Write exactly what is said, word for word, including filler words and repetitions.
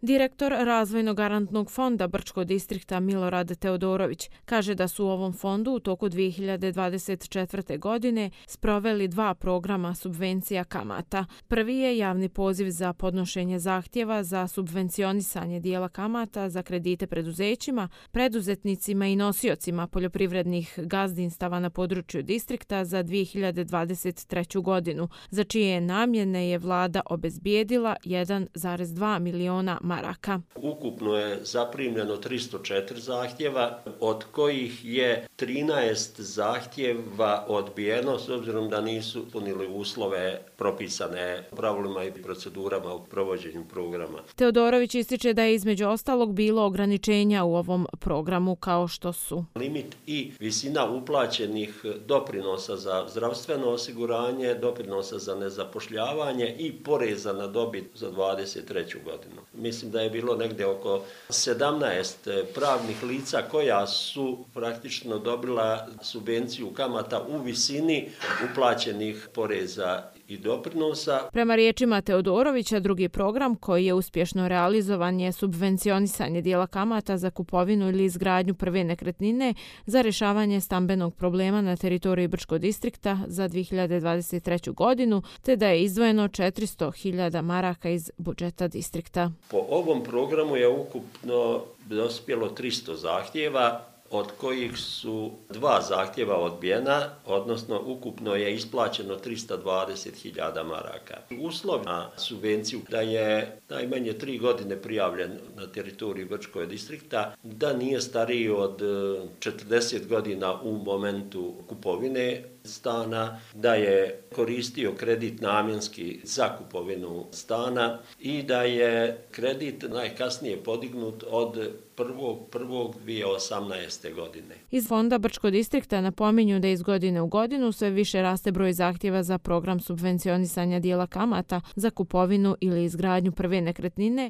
Direktor Razvojno-garantnog fonda Brčko distrikta Milorad Teodorović kaže da su u ovom fondu u toku dvije hiljade dvadeset četvrte. godine sproveli dva programa subvencija kamata. Prvi je javni poziv za podnošenje zahtjeva za subvencionisanje dijela kamata za kredite preduzećima, preduzetnicima i nosiocima poljoprivrednih gazdinstava na području distrikta za dvije hiljade dvadeset treću. godinu, za čije namjene je vlada obezbijedila jedan zarez dva miliona maraka. Ukupno je zaprimljeno tristo četiri zahtjeva, od kojih je trinaest zahtjeva odbijeno s obzirom da nisu ispunili uslove propisane pravilima i procedurama u provođenju programa. Teodorović ističe da je između ostalog bilo ograničenja u ovom programu kao što su limit i visina uplaćenih doprinosa za zdravstveno osiguranje, doprinosa za nezapošljavanje i poreza na dobit za dvadeset treću. godinu. Mislim da je bilo negdje oko sedamnaest pravnih lica koja su praktično dobila subvenciju kamata u visini uplaćenih poreza i doprinosa. Prema riječima Teodorovića, drugi program koji je uspješno realizovan je subvencionisanje dijela kamata za kupovinu ili izgradnju prve nekretnine za rješavanje stambenog problema na teritoriji Brčko distrikta za dvije hiljade dvadeset treću. godinu, te da je izdvojeno četiristo hiljada maraka iz budžeta distrikta. Po ovom programu je ukupno dospjelo tristo zahtjeva, od kojih su dva zahtjeva odbijena, odnosno ukupno je isplaćeno tristo dvadeset hiljada maraka. Uslov na subvenciju da je najmanje tri godine prijavljen na teritoriji Brčkog distrikta, da nije stariji od četrdeset godina u momentu kupovine stana, da je koristio kredit namjenski za kupovinu stana i da je kredit najkasnije podignut od prvog prvog dvije hiljade osamnaeste. godine. Iz fonda Brčko distrikta napominju da iz godine u godinu sve više raste broj zahtjeva za program subvencionisanja dijela kamata za kupovinu ili izgradnju prve nekretnine,